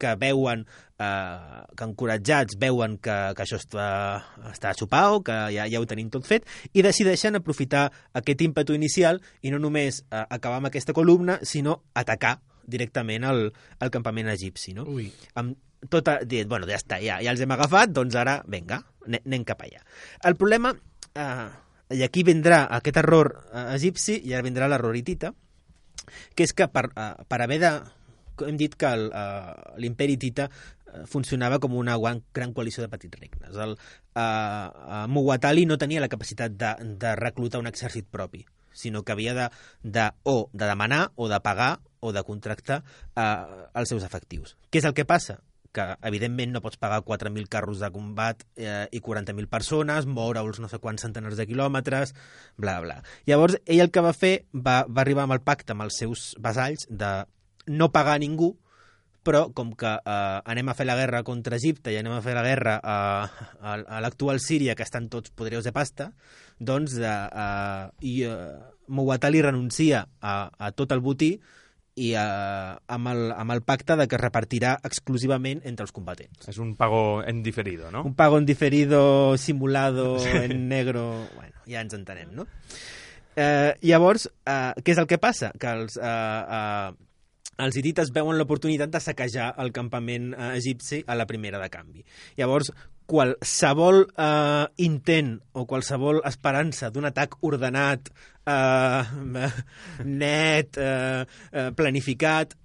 que veuen, que encoratjats veuen que això està xupau, que ja ho tenim tot fet, i decideixen aprofitar aquest ímpetu inicial i no només acabar amb aquesta columna, sinó atacar directament el campament egipci, no? Ui. Bueno, ja està, ja els hem agafat, doncs ara, vinga, anem cap allà. El problema, i aquí vindrà aquest error egipci, i ara vindrà l'error hitita, que és que per haver hem dit que l'imperi hitita funcionava com una gran coalició de petits regnes. Muwatalli no tenia la capacitat de reclutar un exèrcit propi, sinó que havia de demanar o de pagar o de contractar els seus efectius. Què és el que passa? Que evidentment no pots pagar 4.000 carros de combat i 40.000 persones, moure-els no sé quants centenars de quilòmetres, bla, bla. Llavors, ell el que va fer va arribar amb el pacte amb els seus vassalls de no pagar a ningú, però com que anem a fer la guerra contra Egipte i anem a fer la guerra a l'actual Síria, que estan tots poderosos de pasta, doncs Muwatalli renuncia a tot el botí i amb el pacte de que es repartirà exclusivament entre els combatents. És un pago en diferido, no? Un pago en diferido, simulado, en negro... Bueno, ja ens entenem, no? Llavors, què és el que passa? Que els hitites veuen l'oportunitat de saquejar el campament egipci a la primera de canvi. Llavors, qualsevol intent o qualsevol esperança d'un atac ordenat, net, planificat,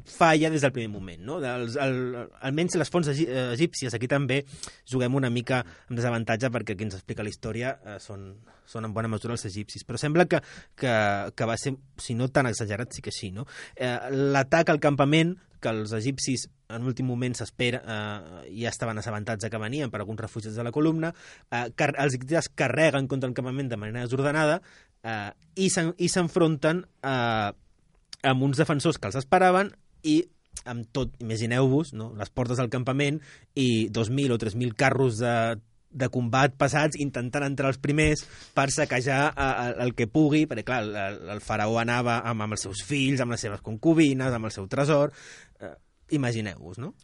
falla des del primer moment, no? Almenys les fonts egípcies, aquí també juguem una mica amb desavantatge perquè qui ens explica la història són en bona mesura els egipcis, però sembla que va ser, si no tan exagerat, sí que sí, no? L'atac al campament, que els egipcis en últim moment s'espera, ja estaven assabentats que venien per alguns refugiats de la columna, els hitites carreguen contra el campament de manera desordenada i s'enfronten amb uns defensors que els esperaven i amb tot, imagineu-vos, no? Les portes del campament i 2.000 o 3.000 carros de combat pesats intentant entrar els primers per saquejar el que pugui, perquè clar, el faraó anava amb els seus fills, amb les seves concubines, amb el seu tresor, imagineu-vos, no?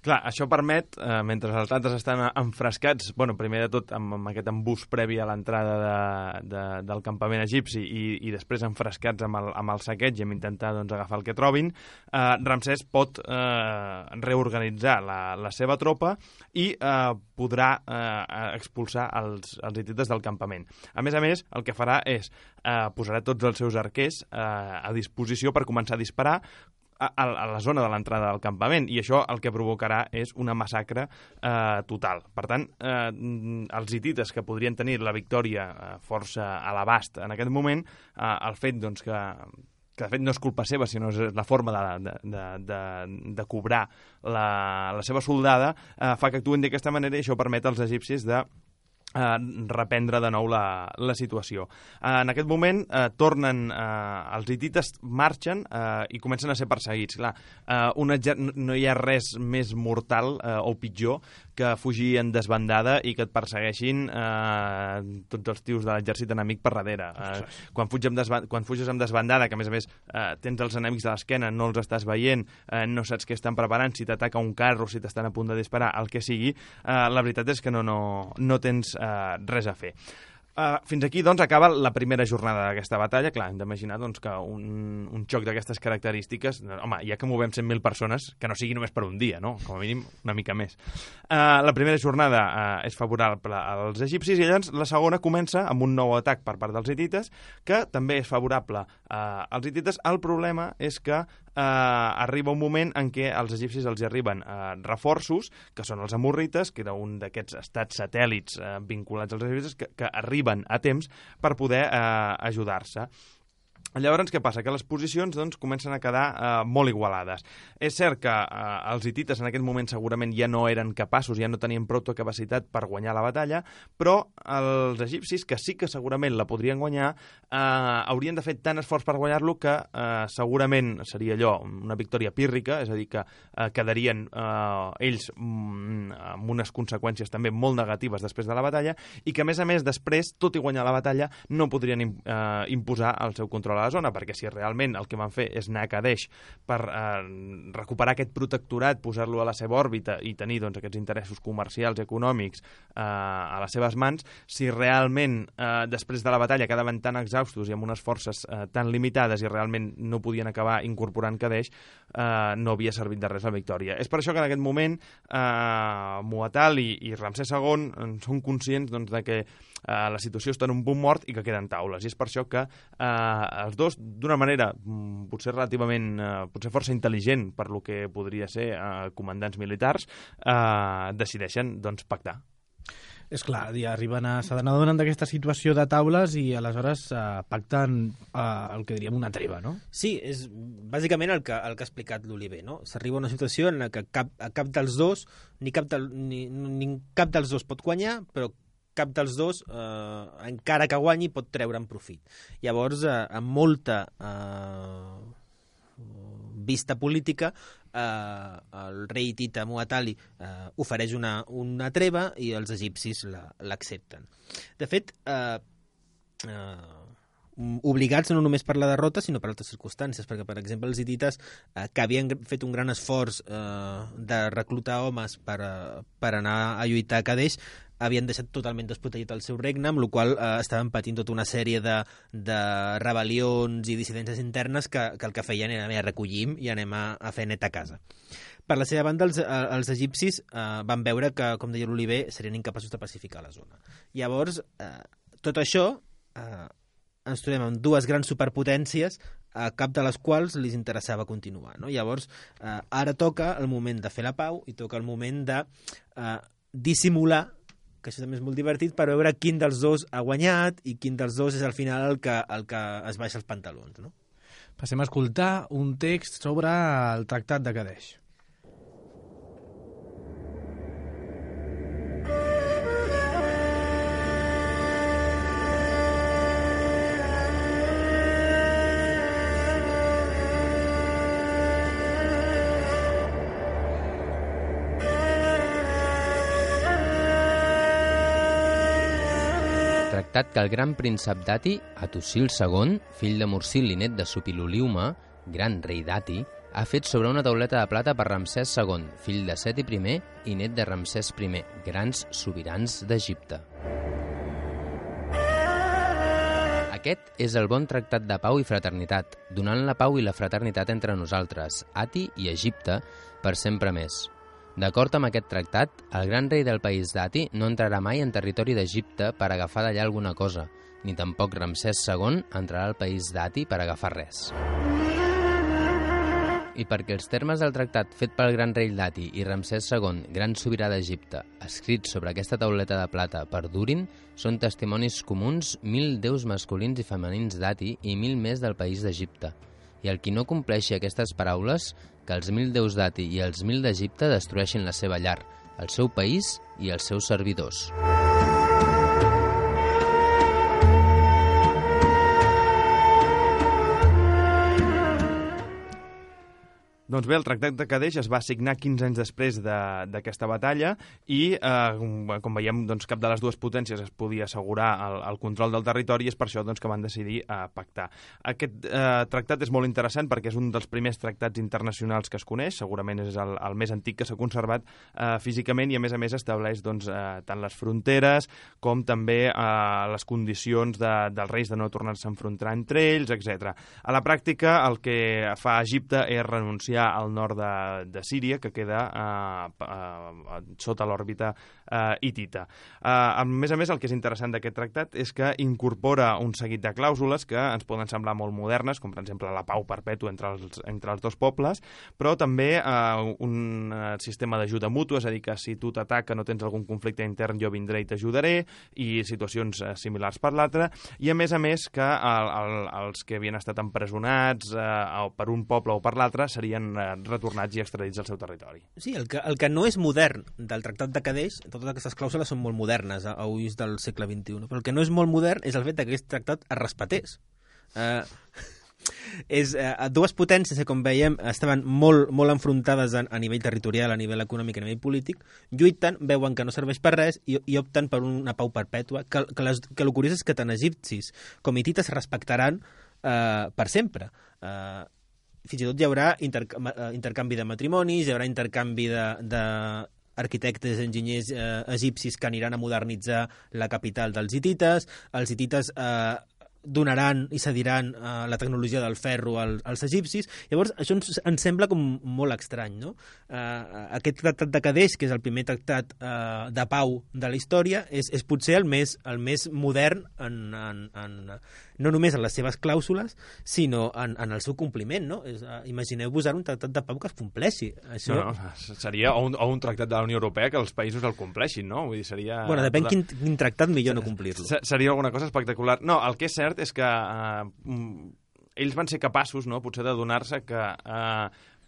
Clar, això permet, mentre els altres estan enfrescats, bueno, primer de tot amb aquest embús previ a l'entrada del campament egipci i després enfrescats amb el saqueig i amb intentar doncs, agafar el que trobin, Ramsès pot reorganitzar la seva tropa i podrà expulsar els hitites del campament. A més, el que farà és posarà tots els seus arquers a disposició per començar a disparar a la zona de l'entrada del campament, i això el que provocarà és una massacre total. Per tant, els hitites que podrien tenir la victòria força a l'abast en aquest moment, el fet doncs, que de fet no és culpa seva, sinó és la forma de cobrar la seva soldada, fa que actuen d'aquesta manera, i això permet als egipcis de reprendre de nou la situació. En aquest moment tornen, els hitites marxen i comencen a ser perseguits. Clar, no hi ha res més mortal o pitjor que fugir en desbandada i que et persegueixin tots els tios de l'exèrcit enemic per darrere. Quan fuges amb desbandada, que a més tens els enemics de l'esquena, no els estàs veient, no saps què estan preparant, si t'ataca un carro, si t'estan a punt de disparar, el que sigui, la veritat és que no tens res a fer. Fins aquí, doncs, acaba la primera jornada d'aquesta batalla. Clar, hem d'imaginar doncs, que un xoc d'aquestes característiques... Home, ja que movem 100.000 persones, que no sigui només per un dia, no? Com a mínim, una mica més. La primera jornada és favorable als egipcis, i llavors la segona comença amb un nou atac per part dels hitites, que també és favorable als hitites. El problema és que arriba un moment en què als egipcis els arriben reforços, que són els amorrites, que era un d'aquests estats satèl·lits vinculats als egipcis, que arriben a temps per poder ajudar-se. Llavors, què passa? Que les posicions doncs, comencen a quedar molt igualades. És cert que els hitites en aquest moment segurament ja no eren capaços, ja no tenien prou capacitat per guanyar la batalla, però els egipcis, que sí que segurament la podrien guanyar, haurien de fer tant esforç per guanyar-lo que segurament seria allò, una victòria pírrica, és a dir, que quedarien ells amb unes conseqüències també molt negatives després de la batalla, i que, a més, després, tot i guanyar la batalla, no podrien imposar el seu control a la zona, perquè si realment el que van fer és anar a Kadesh per recuperar aquest protectorat, posar-lo a la seva òrbita i tenir doncs, aquests interessos comercials i econòmics a les seves mans, si realment després de la batalla quedaven tan exhaustos i amb unes forces tan limitades i realment no podien acabar incorporant Kadesh, no havia servit de res la victòria. És per això que en aquest moment Muwatal i Ramsès II són conscients doncs, de que la situació està en un punt mort i que queden taules, i és per això que els dos, d'una manera potser relativament, potser força intel·ligent per lo que podria ser comandants militars, decideixen doncs, pactar. És clar, se n'adonen d'aquesta situació de taules i aleshores pacten el que diríem una treva, no? Sí, és bàsicament el que ha explicat l'Oliver, no? S'arriba a una situació en la que cap dels dos, ni cap dels dos pot guanyar, però cap dels dos, encara que guanyi, pot treure'n profit. Llavors, amb molta vista política, el rei hitita Muwatalli ofereix una treva i els egipcis l'accepten. De fet, obligats no només per la derrota, sinó per altres circumstàncies, perquè, per exemple, els hitites, que havien fet un gran esforç de reclutar homes per anar a lluitar a Kadesh, havien deixat totalment desprotegit el seu regne, amb la qual estaven patint tota una sèrie de rebel·lions i dissidències internes que el que feien era recollim i anem a fer net a casa. Per la seva banda, els egipcis van veure que, com deia l'Oliver, serien incapaços de pacificar la zona. Llavors, tot això ens trobem amb dues grans superpotències, a cap de les quals li interessava continuar. No? Llavors, ara toca el moment de fer la pau i toca el moment de dissimular, que això també és molt divertit, per veure quin dels dos ha guanyat i quin dels dos és al final el que es baixa els pantalons. No? Passem a escoltar un text sobre el Tractat de Kadesh. Tractat que el gran príncep Dati, Atusil II, fill de Mursil i net de Supiloliuma, gran rei Dati, ha fet sobre una tauleta de plata per Ramsès II, fill de Seti I i net de Ramsès I, grans sobirans d'Egipte. Aquest és el bon tractat de pau i fraternitat, donant la pau i la fraternitat entre nosaltres, Ati i Egipte, per sempre més. D'acord amb aquest tractat, el gran rei del país d'Ati no entrarà mai en territori d'Egipte per agafar d'allà alguna cosa, ni tampoc Ramsès II entrarà al país d'Ati per agafar res. I perquè els termes del tractat fet pel gran rei d'Ati i Ramsès II, gran sobirà d'Egipte, escrits sobre aquesta tauleta de plata perdurin, són testimonis comuns 1.000 déus masculins i femenins d'Ati i 1.000 més del país d'Egipte. I el qui no compleixi aquestes paraules, que els 1.000 déus d'Ati i els 1.000 d'Egipte destrueixin la seva llar, el seu país i els seus servidors. Doncs bé, el Tractat de Cadeix es va signar 15 anys després d'aquesta batalla i, com veiem, doncs, cap de les dues potències es podia assegurar el control del territori i és per això doncs, que van decidir pactar. Aquest tractat és molt interessant perquè és un dels primers tractats internacionals que es coneix, segurament és el més antic que s'ha conservat físicament i, a més, estableix doncs, tant les fronteres com també les condicions dels reis de no tornar-se a enfrontar entre ells, etc. A la pràctica, el que fa Egipte és renunciar al nord de Síria, que queda sota l'òrbita hitita. A més, el que és interessant d'aquest tractat és que incorpora un seguit de clàusules que ens poden semblar molt modernes, com per exemple la pau perpètua entre els dos pobles, però també un sistema d'ajuda mútua, és a dir, que si tu t'ataca no tens algun conflicte intern, jo vindré i t'ajudaré, i situacions similars per l'altra, i a més que els que havien estat empresonats per un poble o per l'altre serien retornats i extradits al seu territori. Sí, el que no és modern del Tractat de Cadeix, totes aquestes clàusules són molt modernes a ulls del segle XXI, però el que no és molt modern és el fet que aquest tractat es respetés. Dues potències que, com veiem, estaven molt enfrontades a nivell territorial, a nivell econòmic, a nivell polític, lluiten, veuen que no serveix per res i opten per una pau perpètua, que el curiós és que tant egipcis com hitites respectaran per sempre. Fins i tot hi haurà intercanvi de matrimonis, hi haurà intercanvi d'arquitectes, enginyers egipcis que aniran a modernitzar la capital dels hitites, els hitites donaran i cediran la tecnologia del ferro als egipcis. Llavors, això ens sembla com molt estrany, no? Aquest tractat de Cadeix, que és el primer tractat de pau de la història, és potser el més modern no només en les seves clàusules, sinó en el seu compliment, no? Imagineu-vos ara un tractat de pau que es compleixi. Això... No, seria un tractat de la Unió Europea que els països el compleixin, no? Vull dir, seria... Bueno, depèn quin tractat millor no complir-lo. Seria alguna cosa espectacular. No, el que és cert és que ells van ser capaços, no?, potser de donar-se que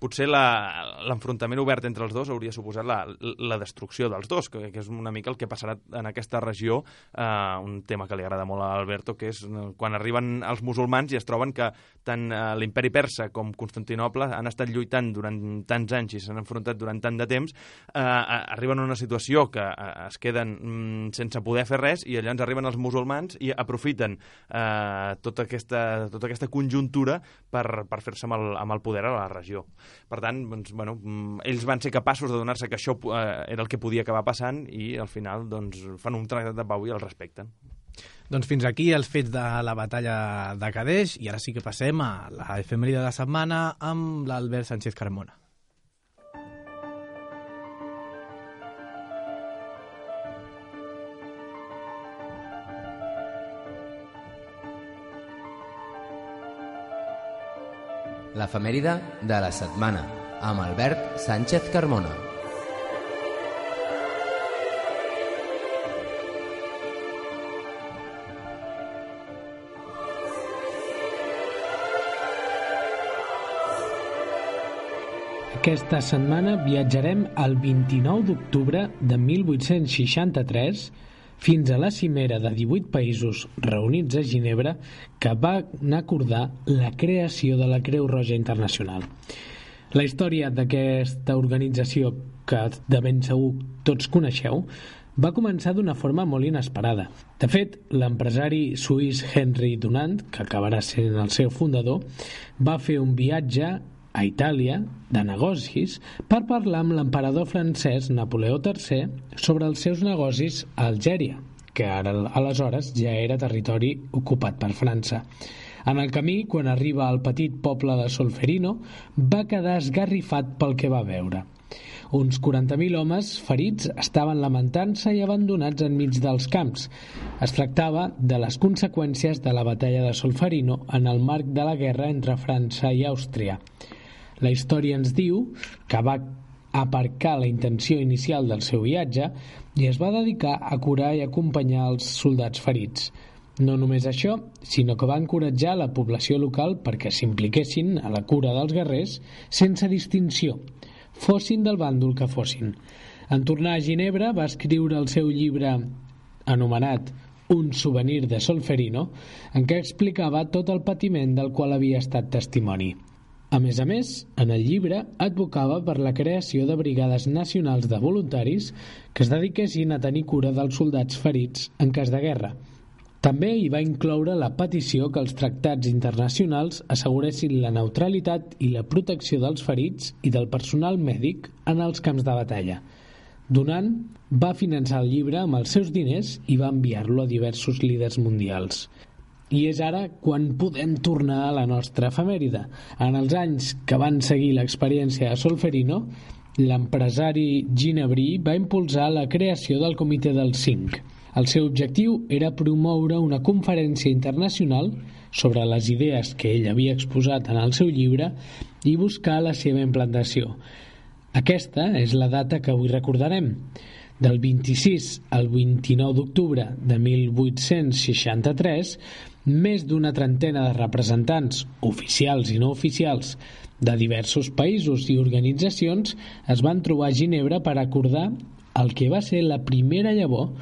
potser l'enfrontament obert entre els dos hauria suposat la destrucció dels dos, que és una mica el que passarà en aquesta regió, un tema que li agrada molt a Alberto, que és quan arriben els musulmans i es troben que tant l'imperi persa com Constantinoble han estat lluitant durant tants anys i s'han enfrontat durant tant de temps, arriben a una situació que es queden sense poder fer res i llavors arriben els musulmans i aprofiten tota aquesta conjuntura per fer-se amb el poder a la regió. Per tant, doncs, bueno, ells van ser capaços de donar-se que això era el que podia acabar passant i al final doncs, fan un tractat de pau i el respecten. Doncs fins aquí els fets de la batalla de Cadeix i ara sí que passem a la efemèride de la setmana amb l'Albert Sánchez Carmona. L'efemèride de la setmana, amb Albert Sánchez Carmona. Aquesta setmana viatjarem al 29 d'octubre de 1863 fins a la cimera de 18 països reunits a Ginebra que van acordar la creació de la Creu Roja Internacional. La història d'aquesta organització, que de ben segur tots coneixeu, va començar d'una forma molt inesperada. De fet, l'empresari suís Henry Dunant, que acabarà sent el seu fundador, va fer un viatge a Itàlia, de negocis, per parlar amb l'emperador francès Napoleó III sobre els seus negocis a Algèria, que ara aleshores ja era territori ocupat per França. En el camí, quan arriba al petit poble de Solferino, va quedar esgarrifat pel que va veure. Uns 40.000 homes ferits estaven lamentant-se i abandonats enmig dels camps. Es tractava de les conseqüències de la batalla de Solferino en el marc de la guerra entre França i Àustria. La història ens diu que va aparcar la intenció inicial del seu viatge i es va dedicar a curar i acompanyar els soldats ferits. No només això, sinó que va encoratjar la població local perquè s'impliquessin a la cura dels guerrers sense distinció, fossin del bàndol que fossin. En tornar a Ginebra va escriure el seu llibre anomenat Un souvenir de Solferino, en què explicava tot el patiment del qual havia estat testimoni. A més, en el llibre advocava per la creació de brigades nacionals de voluntaris que es dediquessin a tenir cura dels soldats ferits en cas de guerra. També hi va incloure la petició que els tractats internacionals asseguressin la neutralitat i la protecció dels ferits i del personal mèdic en els camps de batalla. Donant va finançar el llibre amb els seus diners i va enviar-lo a diversos líders mundials. I és ara quan podem tornar a la nostra efemèride. En els anys que van seguir l'experiència de Solferino, l'empresari ginebrí va impulsar la creació del Comitè dels 5. El seu objectiu era promoure una conferència internacional sobre les idees que ell havia exposat en el seu llibre i buscar la seva implantació. Aquesta és la data que avui recordarem. Del 26 al 29 d'octubre de 1863, més d'una trentena de representants, oficials i no oficials, de diversos països i organitzacions es van trobar a Ginebra per acordar el que va ser la primera llavor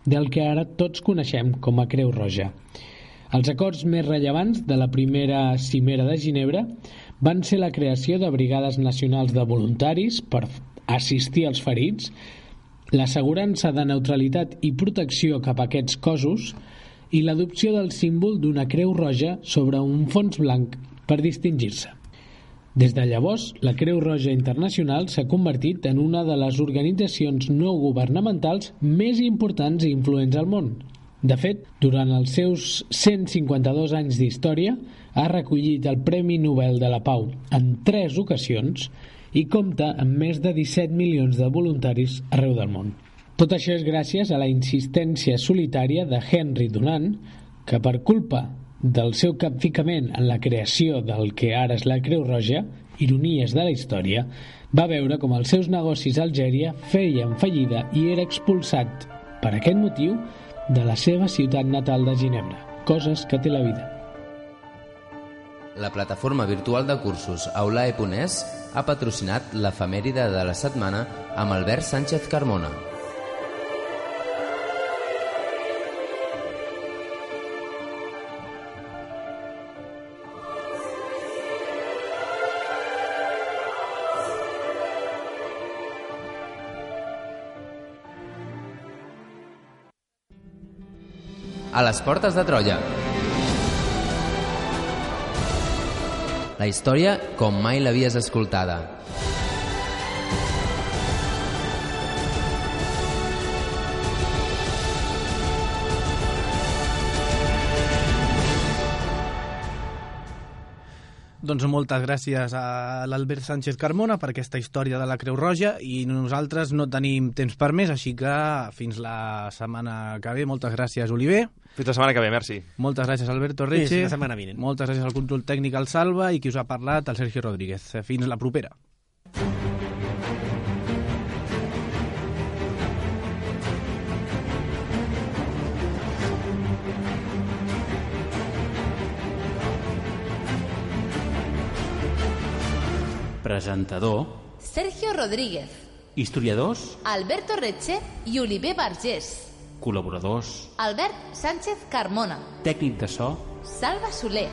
del que ara tots coneixem com a Creu Roja. Els acords més rellevants de la primera cimera de Ginebra van ser la creació de brigades nacionals de voluntaris per assistir als ferits, l'assegurança de neutralitat i protecció cap a aquests cossos i l'adopció del símbol d'una Creu Roja sobre un fons blanc per distingir-se. Des de llavors, la Creu Roja Internacional s'ha convertit en una de les organitzacions no governamentals més importants i influents al món. De fet, durant els seus 152 anys d'història, ha recollit el Premi Nobel de la Pau en 3 ocasions i compta amb més de 17 milions de voluntaris arreu del món. Tot això és gràcies a la insistència solitària de Henry Dunant, que per culpa del seu capficament en la creació del que ara és la Creu Roja, ironies de la història, va veure com els seus negocis a Algèria feien fallida i era expulsat, per aquest motiu, de la seva ciutat natal de Ginebra. Coses que té la vida. La plataforma virtual de cursos Aulae.es ha patrocinat l'efemèride de la setmana amb Albert Sánchez Carmona. A les portes de Troia. La història com mai l'havies escoltada. Doncs moltes gràcies a l'Albert Sánchez Carmona per aquesta història de la Creu Roja i nosaltres no tenim temps per més, així que fins la setmana que ve. Moltes gràcies, Oliver. Fins la setmana que ve, merci. Moltes gràcies, Alberto Reche. Fins la setmana vinent. Moltes gràcies al control tècnic, al Salva, i qui us ha parlat, el Sergio Rodríguez. Fins la propera. Presentador Sergio Rodríguez, historiadors, Alberto Reche i Oliver Vergés. col·laboradors, Albert Sánchez Carmona, tècnic de so, Salva Soler.